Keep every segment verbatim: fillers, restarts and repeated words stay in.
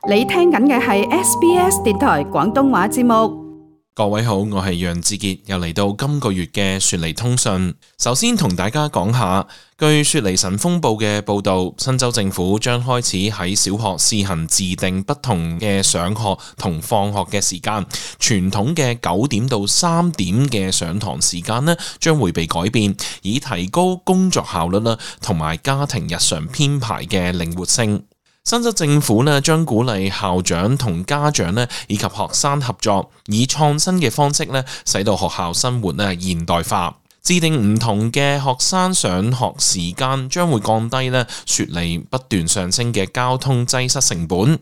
你聽緊嘅係 S B S 電台廣東話節目。各位好，我係楊志傑，又嚟到今個月嘅雪梨通訊。首先同大家講下，據雪梨晨鋒報嘅報道，新州政府將開始喺小學試行自定不同嘅上學同放學嘅時間。傳統嘅九點到三點嘅上堂時間呢，將會被改變，以提高工作效率啦，同埋家庭日常編排嘅靈活性。新州政府呢將鼓勵校長同家長呢以及學生合作，以創新嘅方式呢使到學校生活呢現代化。制定唔同嘅學生上學時間，將會降低呢雪梨不斷上升嘅交通擠塞成本。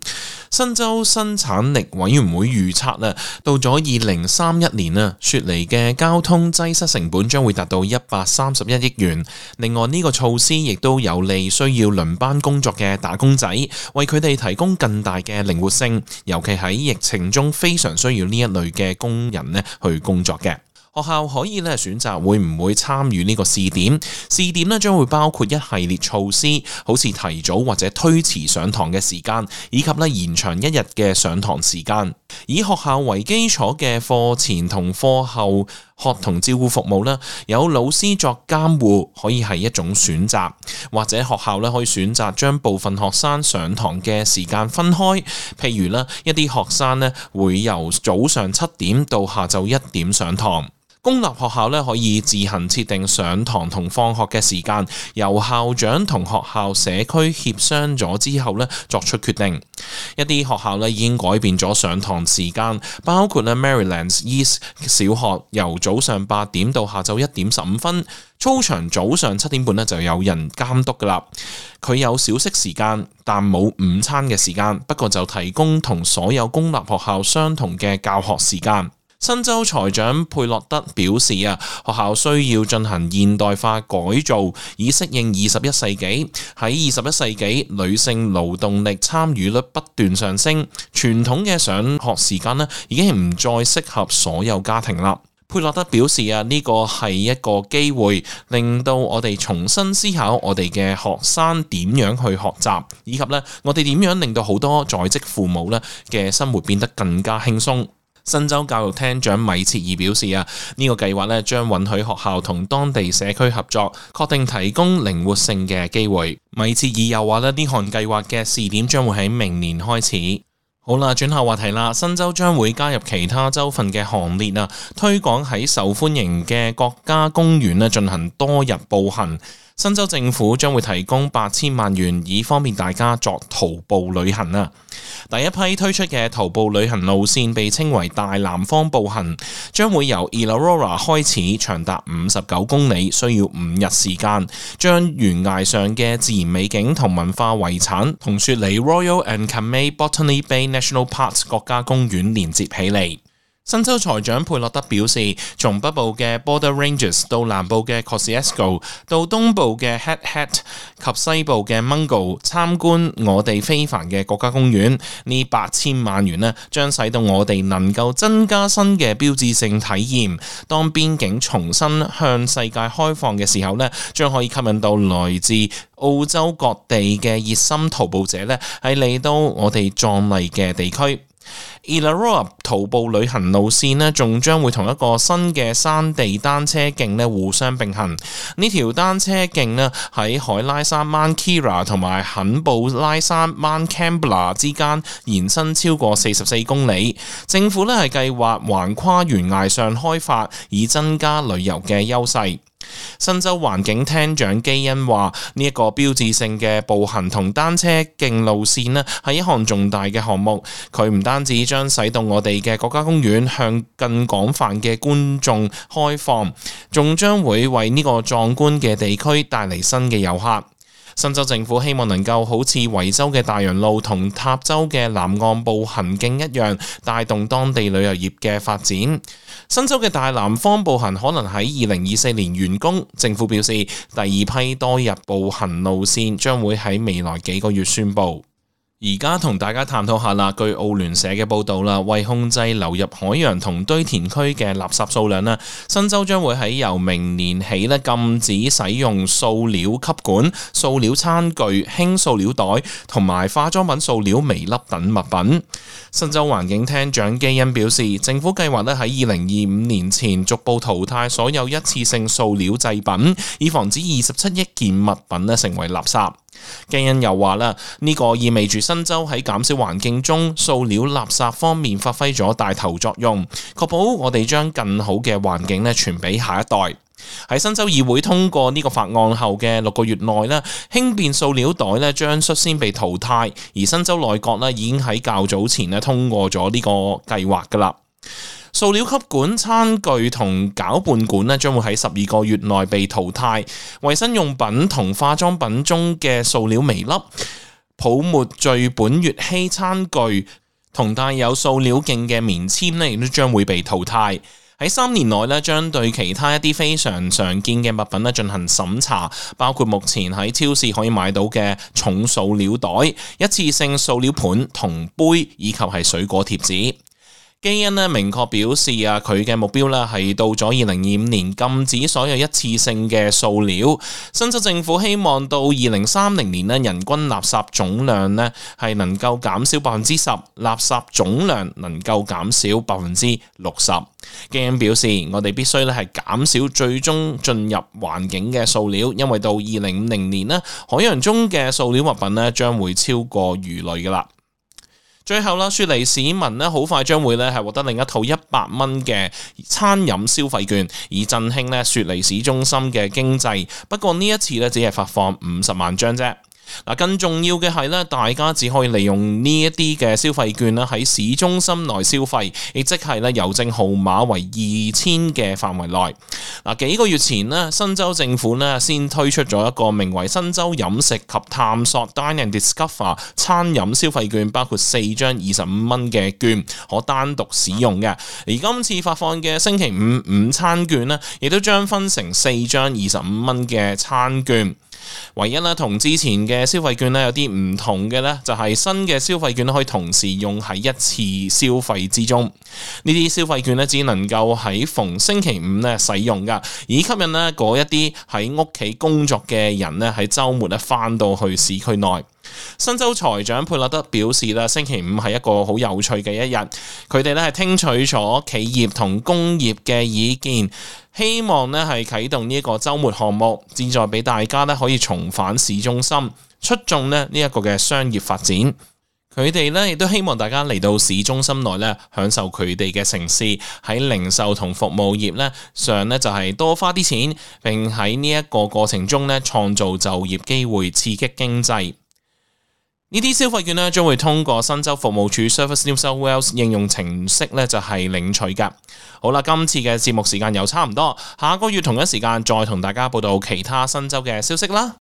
新州生產力委員會預測呢，到咗二零三一年啊，雪梨嘅交通擠塞成本將會達到一百三十一億元。另外呢個措施亦都有利需要輪班工作嘅打工仔，為佢哋提供更大嘅靈活性，尤其喺疫情中非常需要呢一類嘅工人呢去工作嘅。學校可以咧選擇會唔會參與呢個試點，試點咧將會包括一系列措施，好似提早或者推遲上堂嘅時間，以及咧延長一日嘅上堂時間。以學校為基礎嘅課前同課後學童照顧服務咧，有老師作監護可以係一種選擇，或者學校咧可以選擇將部分學生上堂嘅時間分開，譬如咧一啲學生咧會由早上七點到下晝一點上堂。公立學校咧可以自行設定上堂同放學嘅時間，由校長同學校社區協商咗之後咧作出決定。一啲學校咧已經改變咗上堂時間，包括咧 Marylands East 小學由早上八點到下晝一點十五分，操場早上七點半咧就有人監督噶啦。佢有小息時間，但冇午餐嘅時間，不過就提供同所有公立學校相同嘅教學時間。新州財長佩洛德表示啊，學校需要進行現代化改造，以適應二十一世紀。喺二十一世紀，女性勞動力參與率不斷上升，傳統嘅上學時間呢已經唔再適合所有家庭啦。佩洛德表示啊，呢個係一個機會，令到我哋重新思考我哋嘅學生點樣去學習，以及呢我哋點樣令到好多在職父母呢嘅生活變得更加輕鬆。新州教育廳長米切爾表示啊，呢個計劃咧將允許學校同當地社區合作，確定提供靈活性嘅機會。米切爾又話咧，呢項計劃嘅試點將會喺明年開始。好啦，轉下話題啦，新州將會加入其他州份嘅行列啊，推廣喺受歡迎嘅國家公園咧進行多日步行。新州政府將會提供八千萬元，以方便大家作徒步旅行啊！第一批推出嘅徒步旅行路線被稱為大南方步行，將會由 Illawarra 開始，長達五十九公里，需要五日時間，將懸崖上嘅自然美景同文化遺產同雪梨 Royal and Kamei Botany Bay National Parks 國家公園連接起嚟。新州財長佩洛德表示，從北部嘅 Border Ranges 到南部嘅 Kosciuszko 到東部嘅 Hat Hat 及西部嘅 Mungo 參觀我哋非凡嘅國家公園，呢八千萬元呢將使到我哋能夠增加新嘅標誌性體驗。當邊境重新向世界開放嘅時候呢，將可以吸引到來自澳洲各地嘅熱心徒步者呢係嚟到我哋壯麗嘅地區。Illawarra 徒步旅行路線呢，仲將會同一個新嘅山地單車徑呢互相並行。呢條單車徑呢喺海拉山 Mount Kira 同埋肯布拉山 Mount Kambla 之間延伸超過四十四公里。政府呢係計劃橫跨懸崖上開發，以增加旅遊嘅優勢。新州環境廳長基恩話：呢一個標誌性嘅步行同單車徑路線呢係一項重大嘅項目。佢唔單止將使到我哋嘅國家公園向更廣泛嘅觀眾開放，仲將會為呢個壯觀嘅地區帶嚟新嘅遊客。新州政府希望能夠好似維州嘅大洋路同塔州嘅南岸步行徑一樣，帶動當地旅遊業嘅發展。新州嘅大南方步行可能喺二零二四年完工。政府表示，第二批多日步行路線將會喺未來幾個月宣布。而家同大家探討下啦，據澳聯社嘅報導啦，為控制流入海洋同堆填區嘅垃圾數量啦，新州將會喺由明年起咧禁止使用塑料吸管、塑料餐具、輕塑料袋同埋化妝品塑料微粒等物品。新州環境廳長基恩表示，政府計劃咧喺二零二五年前逐步淘汰所有一次性塑料製品，以防止二十七億件物品咧成為垃圾。基恩又話啦，呢個意味住新州喺減少環境中塑料垃圾方面發揮咗帶頭作用，確保我哋將更好嘅環境咧傳俾下一代。喺新州議會通過呢個法案後嘅六個月內咧，輕便塑料袋咧將率先被淘汰，而新州內閣咧已經喺較早前咧通過咗呢個計劃噶啦。塑料吸管、餐具同攪拌管咧，將會喺十二個月內被淘汰。衛生用品同化妝品中嘅塑料微粒、泡沫聚苯乙烯餐具同帶有塑料徑嘅棉籤咧，亦都將會被淘汰。喺三年內咧，將對其他一啲非常常見嘅物品咧進行審查，包括目前喺超市可以買到嘅重塑料袋、一次性塑料盤同杯，以及係水果貼紙。基恩咧明確表示啊，佢嘅目標咧係到咗二零二五年禁止所有一次性嘅塑料。新州政府希望到二零三零年咧，人均垃圾總量咧係能夠減少百分之十，垃圾總量能夠減少百分之六十。基恩表示，我哋必須咧係減少最終進入環境嘅塑料，因為到二零五零年咧，海洋中嘅塑料物品咧將會超過魚類噶啦。最後啦，雪梨市民咧好快將會咧係獲得另一套一百蚊嘅餐飲消費券，以振興咧雪梨市中心嘅經濟。不過呢一次咧只係發放五十萬張啫。嗱，更重要嘅係咧，大家只可以利用呢一啲嘅消費券啦，喺市中心內消費，亦即係咧郵政號碼為二千嘅範圍內。嗱，幾個月前咧，新州政府咧先推出咗一個名為新州飲食及探索 Dine and Discover 餐飲消費券，包括四張二十五蚊嘅券可單獨使用嘅。而今次發放嘅星期五午餐券咧，亦都將分成四張二十五蚊嘅餐券。唯一咧同之前嘅消費券咧有啲唔同嘅咧，就係新嘅消費券可以同時用喺一次消費之中。呢啲消費券咧只能夠喺逢星期五咧使用噶，以吸引咧嗰一啲喺屋企工作嘅人咧喺週末咧翻到去市區內。新州財長佩勒德表示啦，星期五係一個好有趣嘅一日，佢哋咧係聽取咗企業同工業嘅意見，希望咧係啟動呢一個週末項目，旨在俾大家咧可以重返市中心，促進咧呢一個嘅商業發展。佢哋咧亦都希望大家嚟到市中心內咧享受佢哋嘅城市，喺零售同服務業咧上咧就係多花啲錢，並喺呢一個過程中咧創造就業機會，刺激經濟。呢啲消費券咧將會通過新州服務處 Service New South Wales 應用程式咧就係領取㗎。好啦，今次嘅節目時間又差唔多，下個月同一時間再同大家報道其他新州嘅消息啦。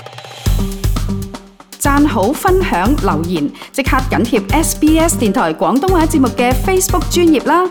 讚好、分享、留言，即刻緊貼 S B S 電台廣東話節目嘅 Facebook 專頁啦！